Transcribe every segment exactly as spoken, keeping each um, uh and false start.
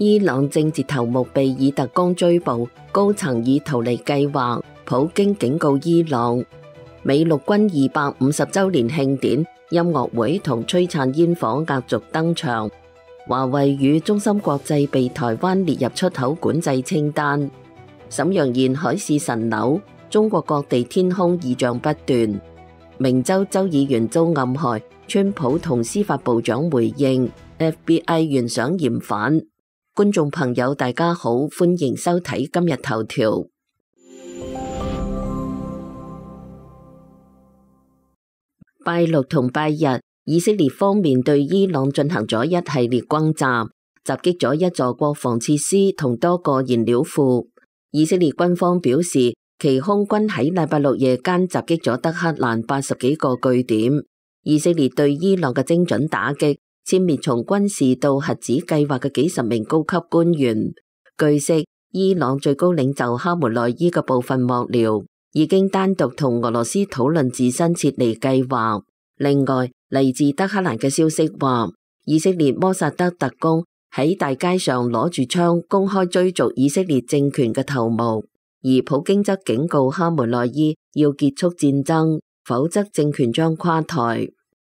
伊朗政治頭目被以特工追捕，高層以逃離計劃，普京警告伊朗。美陸軍二百五十週年慶典音樂會同璀璨煙火壓軸登場。華為與中芯國際被台灣列入出口管制清單。瀋陽沿海市蜃樓，中國各地天空異象不斷。明州州議員遭暗害，川普同司法部長回應 F B I 懸賞嫌犯。觀眾朋友大家好，歡迎收睇今日頭條。拜六同拜日，以色列方面對伊朗進行咗一系列轟炸，襲擊咗一座國防設施同多個燃料庫。以色列軍方表示，其空軍喺禮拜六夜間襲擊咗德黑蘭八十幾個據點。以色列對伊朗嘅精準打擊，殲滅從軍事到核子計劃嘅幾十名高級官員。據悉，伊朗最高領袖哈梅內伊嘅部分幕僚已經單獨同俄羅斯討論自身撤離計劃。另外，嚟自德黑蘭嘅消息話，以色列摩薩德特工喺大街上攞住槍公開追逐以色列政權嘅頭目，而普京則警告哈梅內伊要結束戰爭，否則政權將垮台。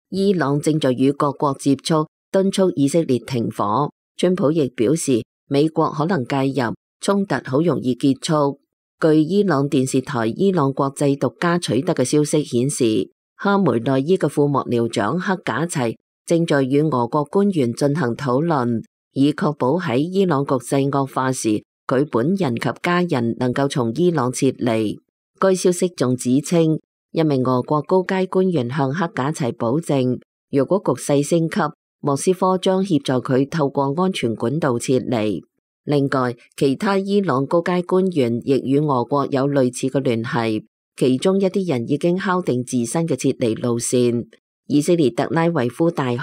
伊朗正在與各國接觸，敦促以色列停火。川普亦表示，美國可能介入，衝突好容易結束。據伊朗電視台伊朗國際獨家取得嘅消息顯示，哈梅內伊嘅副幕僚長克賈齊正在與俄國官員進行討論，以確保喺伊朗局勢惡化時，佢本人及家人能夠從伊朗撤離。該消息仲指稱，一名俄國高階官員向克賈齊保證，若果局勢升級，莫斯科將協助佢透過安全管道撤離。另外，其他伊朗高階官員亦與俄國有類似嘅聯繫，其中一啲人已經敲定自身嘅撤離路線。以色列特拉維夫大學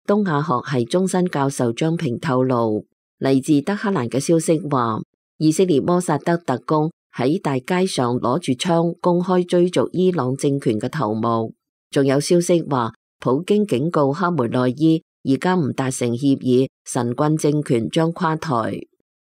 東亞學系終身教授張平透露，嚟自德黑蘭嘅消息話，以色列摩薩德特工喺大街上攞住槍公開追逐伊朗政權嘅頭目。仲有消息話，普京警告哈梅內伊，而家唔達成協議，神棍政權將垮台。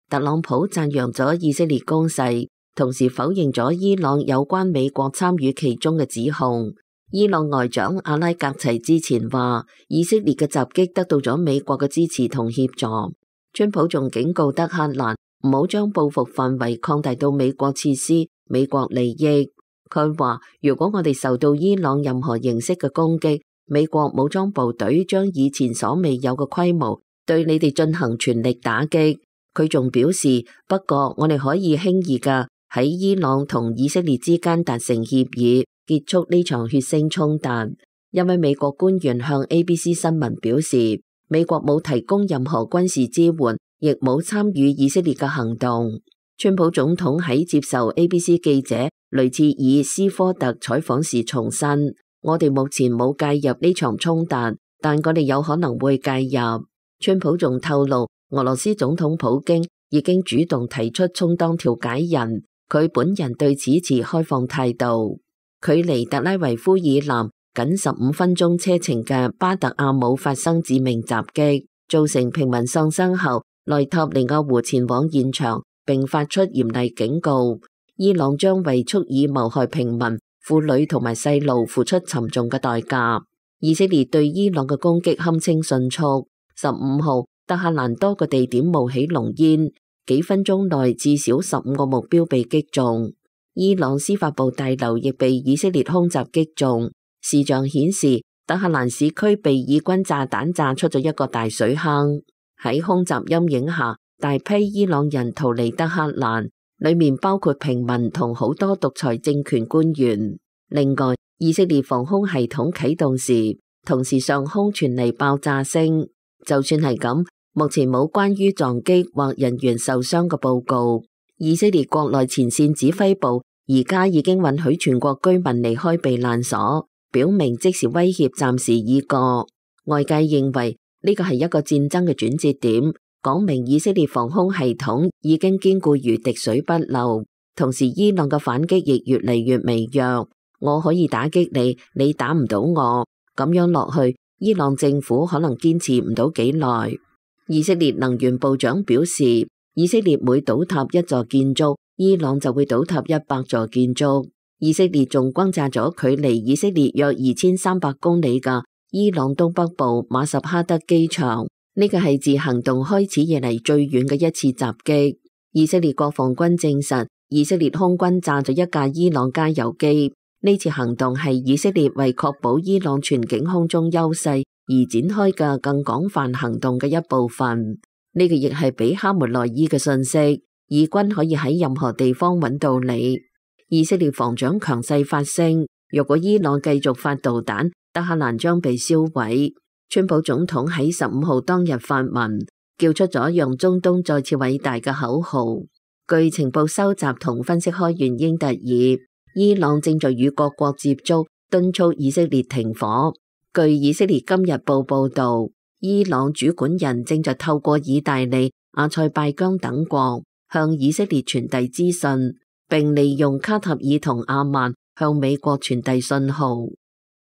特朗普讚揚咗以色列攻勢，同時否認咗伊朗有關美國參與其中嘅指控。伊朗外長阿拉格齊之前話，以色列嘅襲擊得到咗美國嘅支持同協助。川普仲警告德黑蘭唔好將報復範圍擴大到美國設施、美國利益。佢話，如果我哋受到伊朗任何形式嘅攻擊，美國武裝部隊將以前所未有嘅規模對你哋進行全力打擊。佢仲表示，不過我哋可以輕易㗎喺伊朗同以色列之間達成協議，結束呢場血腥衝突。一位美國官員向 A B C 新聞表示，美國冇提供任何軍事支援，亦冇參與以色列嘅行動。川普總統喺接受 A B C 記者雷切爾斯科特採訪時重申，我哋目前冇介入呢場衝突，但我哋有可能會介入。川普仲透露，俄羅斯總統普京已經主動提出充當調解人，佢本人對此持開放態度。距離特拉維夫以南僅十五分鐘車程嘅巴特阿姆發生致命襲擊，造成平民喪生後，內塔尼亞胡前往現場並發出嚴厲警告，伊朗將為蓄意謀害平民、婦女同埋細路付出沉重嘅代價。以色列對伊朗嘅攻擊堪稱迅速，十五號德黑蘭多個地點冒起濃煙，幾分鐘內至少十五個目標被擊中。伊朗司法部大樓亦被以色列空襲擊中，視像顯示德黑蘭市區被以軍炸彈炸出咗一個大水坑。喺空襲陰影下，大批伊朗人逃離德黑蘭，裏面包括平民同好多獨裁政權官員。另外，以色列防空系統啟動時，同時上空傳嚟爆炸聲。就算係咁，目前冇關於撞擊或人員受傷嘅報告。以色列國內前線指揮部而家已經允許全國居民離開避難所，表明即時威脅暫時已過。外界認為呢個係一個戰爭嘅轉折點，講明以色列防空系統已經堅固如滴水不漏，同時伊朗嘅反擊亦越嚟越微弱。我可以打擊你，你打唔到我，咁樣落去，伊朗政府可能堅持唔到幾耐。以色列能源部長表示，以色列每倒塌一座建築，伊朗就會倒塌一百座建築。以色列仲轟炸咗距離以色列約二千三百公里嘅伊朗東北部馬什哈德機場，呢個係自行動開始以嚟最遠嘅一次襲擊。以色列國防軍證實，以色列空軍炸咗一架伊朗加油機。呢次行動係以色列為確保伊朗全境空中優勢而展開嘅更廣泛行動嘅一部分。呢個亦係俾哈梅內伊嘅信息，以軍可以喺任何地方揾到你。以色列防長強勢發聲，若果伊朗繼續發導彈，德黑蘭將被燒毀。川普總統喺十五號當日發文，叫出咗讓中東再次偉大嘅口號。據情報收集同分析開源英特爾，伊朗正在與各國接觸，敦促以色列停火。據以色列今日報報道，伊朗主管人正在透過意大利、阿塞拜疆等國向以色列傳遞資訊，並利用卡塔爾同阿曼向美國傳遞信號。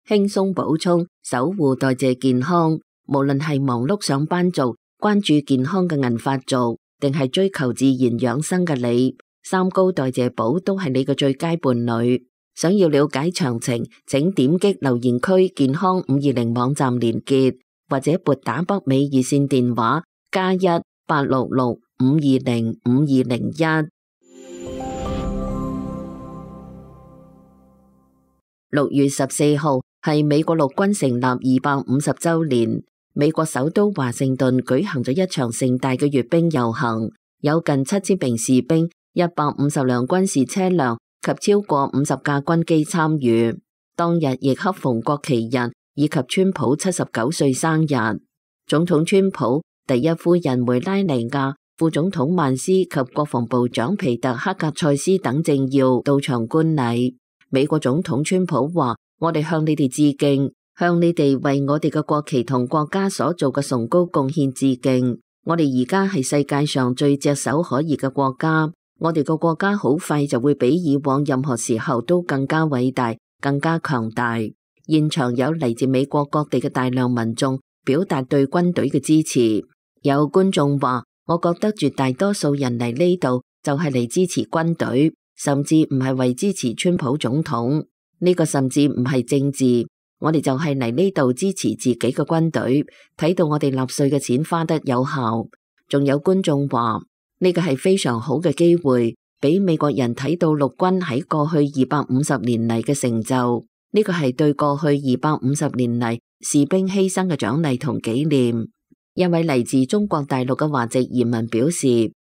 輕鬆補充，守護代謝健康，無論係忙碌上班族、關注健康嘅銀髮族，定係追求自然養生嘅你，三高代謝寶都係你嘅最佳伴侶。想要了解詳情，請點擊留言區健康五二零網站連結，或者撥打北美熱線電話加一八六六五二零五二零一。六月十四號係美國陸軍成立二百五十週年，美國首都華盛頓舉行咗一場盛大嘅閱兵遊行，有近七千名士兵、一百五十輛軍事車輛及超過五十架軍機參與。當日亦恰逢國旗日以及川普七十九歲生日。總統川普、第一夫人梅拉尼亞、副總統曼斯及國防部長皮特克格塞斯等政要到場觀禮。美國總統川普話：我哋向你哋致敬，向你哋為我哋嘅國旗同國家所做嘅崇高貢獻致敬。我哋而家係世界上最炙手可熱嘅國家，我哋個國家好快就會比以往任何時候都更加偉大、更加強大。現場有嚟自美國各地嘅大量民眾表達對軍隊嘅支持。有觀眾話：我覺得絕大多數人嚟呢度就係嚟支持軍隊。甚至唔係為支持川普總統，呢個甚至唔係政治，我哋就係嚟呢度支持自己嘅軍隊，睇到我哋納稅嘅錢花得有效。仲有觀眾話呢個係非常好嘅機會，俾美國人睇到陸軍喺過去二百五十年嚟嘅成就，呢個係對過去二百五十年嚟士兵犧牲嘅獎勵同紀念。一位嚟自中國大陸嘅華籍移民表示，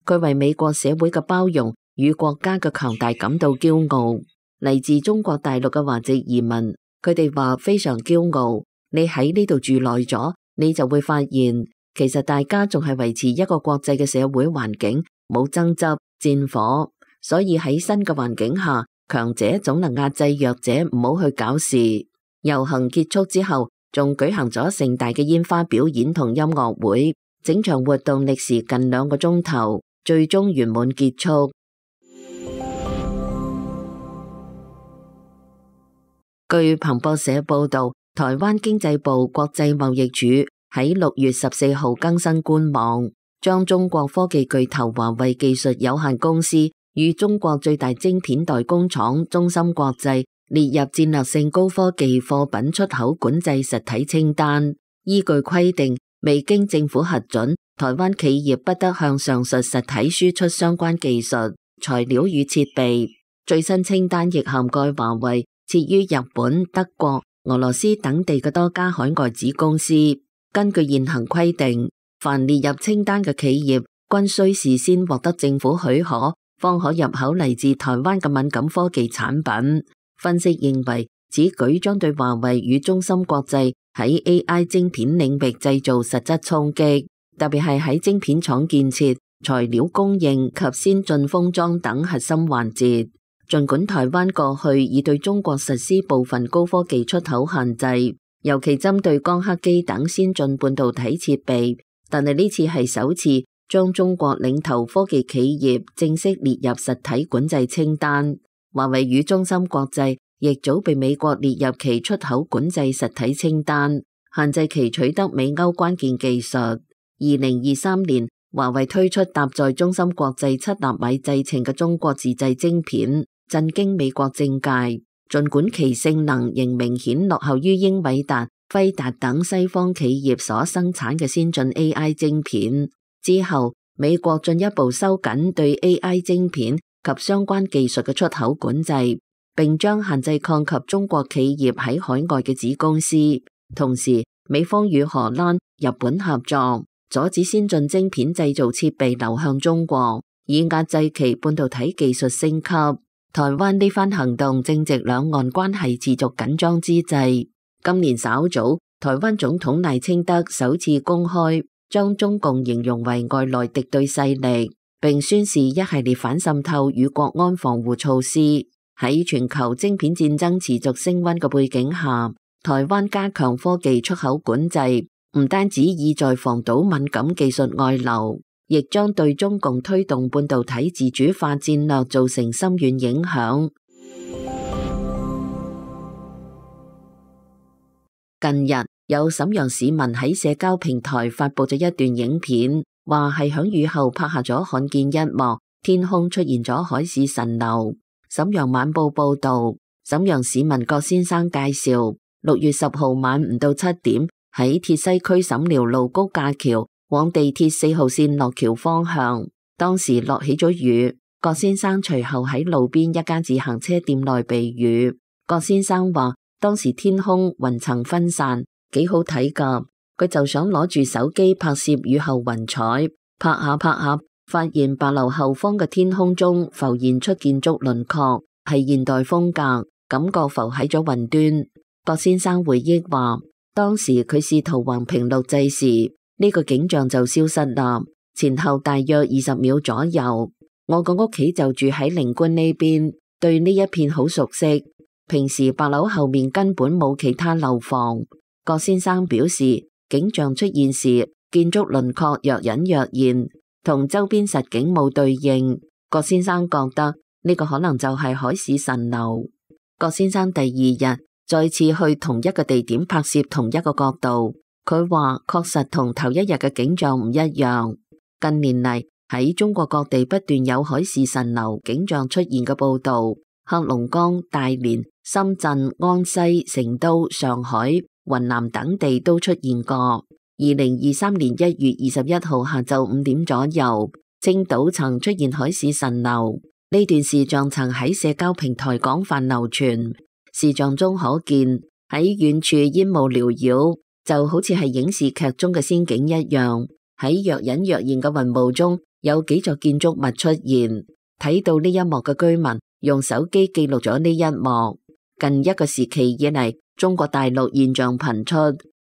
佢為美國社會嘅包容與國家嘅強大感到驕傲。嚟自中國大陸嘅華籍移民，佢哋話非常驕傲。你喺呢度住耐咗，你就會發現，其實大家仲係維持一個國際嘅社會環境，冇爭執、戰火。所以喺新嘅環境下，強者總能壓制弱者，唔好去搞事。遊行結束之後，仲舉行咗盛大嘅煙花表演同音樂會，整場活動歷時近兩個鐘頭，最終圓滿結束。據彭博社報道，台灣經濟部國際貿易處喺六月十四號更新官網，將中國科技巨頭華為技術有限公司與中國最大晶片代工廠中芯國際列入戰略性高科技貨品出口管制實體清單。依據規定，未經政府核准，台灣企業不得向上述實體輸出相關技術、材料與設備。最新清單亦涵蓋華為設於日本、德國、俄羅斯等地嘅多家海外子公司。根據現行規定，凡列入清單嘅企業均須事先獲得政府許可，方可入口嚟自台灣嘅敏感科技產品。分析認為，此舉將對華為與中芯國際喺 A I 晶片領域製造實質衝擊，特別係喺晶片廠建設、材料供應及先進封裝等核心環節。儘管台灣過去已對中國實施部分高科技出口限制，尤其針對光刻機等先進半導體設備，但係呢次係首次將中國領頭科技企業正式列入實體管制清單。華為與中芯國際亦早被美國列入其出口管制實體清單，限制其取得美歐關鍵技術。二零二三年，華為推出搭載中芯國際七納米製程嘅中國自製晶片，震驚美國政界。儘管其性能仍明顯落後於英偉達、輝達等西方企業所生產嘅先進 A I 晶片，之後美國進一步收緊對 A I 晶片及相關技術嘅出口管制，並將限制擴及中國企業喺海外嘅子公司。同時，美方與荷蘭、日本合作，阻止先進晶片製造設備流向中國，以壓制其半導體技術升級。台灣呢番行動正值兩岸關係持續緊張之際。今年稍早，台灣總統賴清德首次公開將中共形容為外來敵對勢力，並宣示一系列反滲透與國安防護措施。喺全球晶片戰爭持續升溫嘅背景下，台灣加強科技出口管制，唔單止意在防堵敏感技術外流，亦將對中共推動半導體自主化戰略造成深遠影響。近日有瀋陽市民喺社交平台發佈咗一段影片，話係響雨後拍下咗罕見一幕，天空出現咗海市蜃樓。瀋陽晚報報道，瀋陽市民郭先生介紹，六月十號晚唔到七點，喺鐵西區瀋寮路高架橋往地鐵四號線落橋方向，當時落起咗雨。郭先生隨後喺路邊一間自行車店內避雨。郭先生話，當時天空雲層分散，幾好睇㗎。佢就想攞住手機拍攝雨後雲彩，拍下拍下，發現白樓後方嘅天空中浮現出建築輪廓，係現代風格，感覺浮喺咗雲端。郭先生回憶話，當時佢試圖橫屏錄製時，呢個景象就消失啦，前後大約二十秒左右。我個屋企就住喺靈官呢邊，對呢一片好熟悉。平時白樓後面根本冇其他樓房。郭先生表示，景象出現時，建築輪廓若隱若現，同周邊實景冇對應。郭先生覺得呢個可能就係海市蜃樓。郭先生第二日再次去同一個地點拍攝同一個角度，佢話確實同頭一日嘅景象唔一樣。近年嚟喺中國各地不斷有海市蜃樓景象出現嘅報道，黑龍江、大連、深圳、安西、成都、上海、雲南等地都出現過。二零二三年一月二十一號下晝五點左右，青島曾出現海市蜃樓，呢段視像曾喺社交平台廣泛流傳。視像中可見喺遠處煙霧繚繞，就好似係影視劇中嘅仙境一樣。喺若隱若現嘅雲霧中，有幾座建築物出現。睇到呢一幕嘅居民用手機記錄咗呢一幕。近一個時期以嚟，中國大陸現象頻出，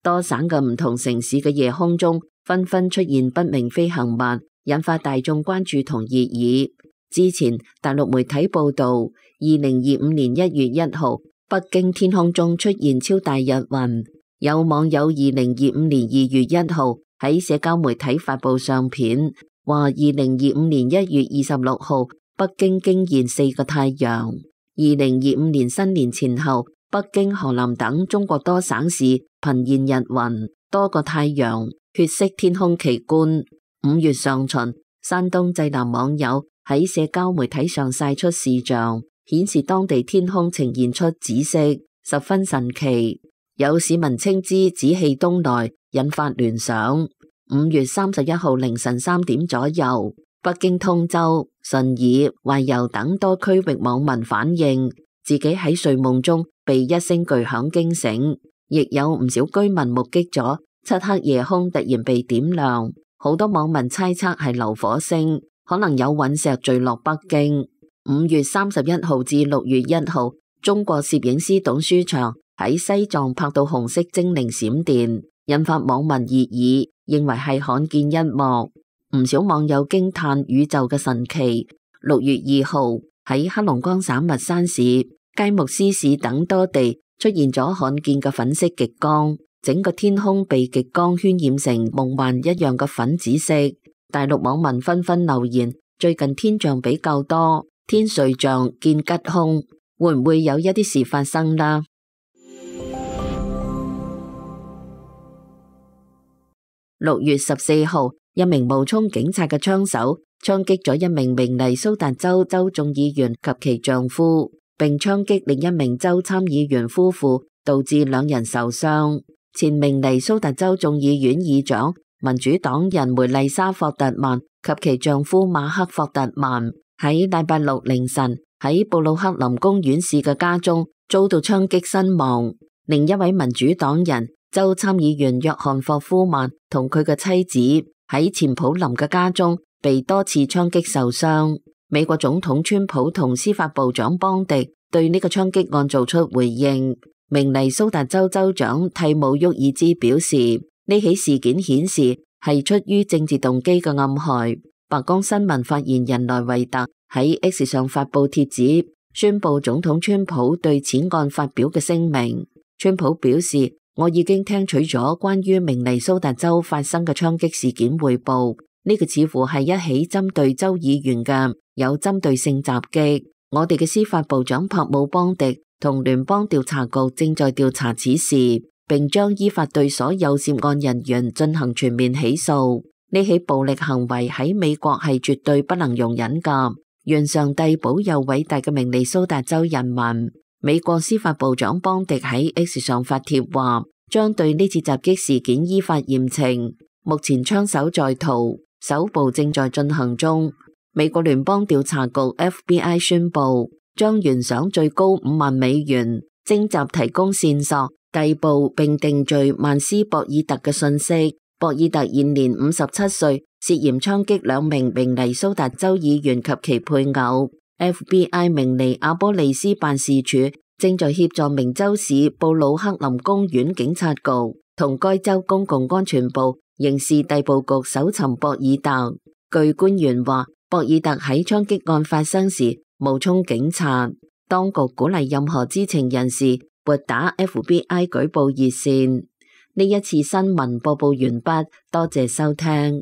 多省嘅唔同城市嘅夜空中紛紛出現不明飛行物，引發大眾關注同熱議。之前大陸媒體報道，二零二五年一月一號，北京天空中出現超大日雲。有網友二零二五年二月一號喺社交媒體發布相片，話二零二五年一月二十六號，北京驚現四個太陽。二零二五年新年前後，北京、河南等中國多省市頻現日雲，多個太陽，血色天空奇觀。五月上旬，山東濟南網友喺社交媒體上曬出視像，顯示當地天空呈現出紫色，十分神奇。有市民稱之紫氣東來，引發聯想。五月三十一號凌晨三點左右，北京通州、順義、懷柔等多區域網民反映，自己喺睡夢中被一聲巨響驚醒，亦有唔少居民目擊咗漆黑夜空突然被點亮。好多網民猜測係流火星，可能有隕石墜落北京。五月三十一號至六月一號，中國攝影師董書祥喺西藏拍到紅色精靈閃電，引發網民熱議，認為係罕見一幕。唔少網友驚嘆宇宙嘅神奇。六月二號喺黑龍江省密山市、佳木斯市等多地出現咗罕見嘅粉色極光，整個天空被極光渲染成夢幻一樣嘅粉紫色。大陸網民紛紛留言，最近天象比較多，天瑞象見吉凶，會唔會有一啲事發生啦？六月十四號，一名冒充警察嘅槍手槍擊咗一名明尼蘇達州州眾議員及其丈夫，並槍擊另一名州參議員夫婦，導致兩人受傷。前明尼蘇達州眾議院議長民主黨人梅麗莎·霍特曼及其丈夫馬克·霍特曼喺禮拜六凌晨喺布魯克林公園市嘅家中遭到槍擊身亡。另一位民主黨人州參議員約翰霍夫曼同佢嘅妻子喺前普林嘅家中被多次槍擊受傷。美國總統川普同司法部長邦迪對呢個槍擊案做出回應。明尼蘇達州州長蒂姆沃爾茲表示，呢起事件顯示係出於政治動機嘅暗害。白宮新聞發言人萊維特喺 X 上發布帖子，宣布總統川普對此案發表嘅聲明。川普表示，我已經聽取咗關於明尼蘇達州發生嘅槍擊事件匯報，呢個似乎係一起針對州議員嘅有針對性襲擊。我哋嘅司法部長柏姆邦迪同聯邦調查局正在調查此事，並將依法對所有涉案人員進行全面起訴。呢起暴力行為喺美國係絕對不能容忍㗎。願上帝保佑偉大嘅明尼蘇達州人民。美國司法部長邦迪喺 X 上發帖話，將對呢次襲擊事件依法嚴懲。目前槍手在逃，搜捕正在進行中。美國聯邦調查局 F B I 宣布，將懸賞最高五萬美元，徵集提供線索、逮捕並定罪曼斯博爾特嘅信息。博爾特現年五十七歲，涉嫌槍擊兩名明尼蘇達州議員及其配偶。F B I 明尼阿波利斯辦事處正在協助明州市布魯克林公園警察局同該州公共安全部刑事逮捕局搜尋博爾特。據官員話，博爾特喺槍擊案發生時冒充警察。當局鼓勵任何知情人士撥打 F B I 舉報熱線。呢一次新聞播報完畢，多謝收聽。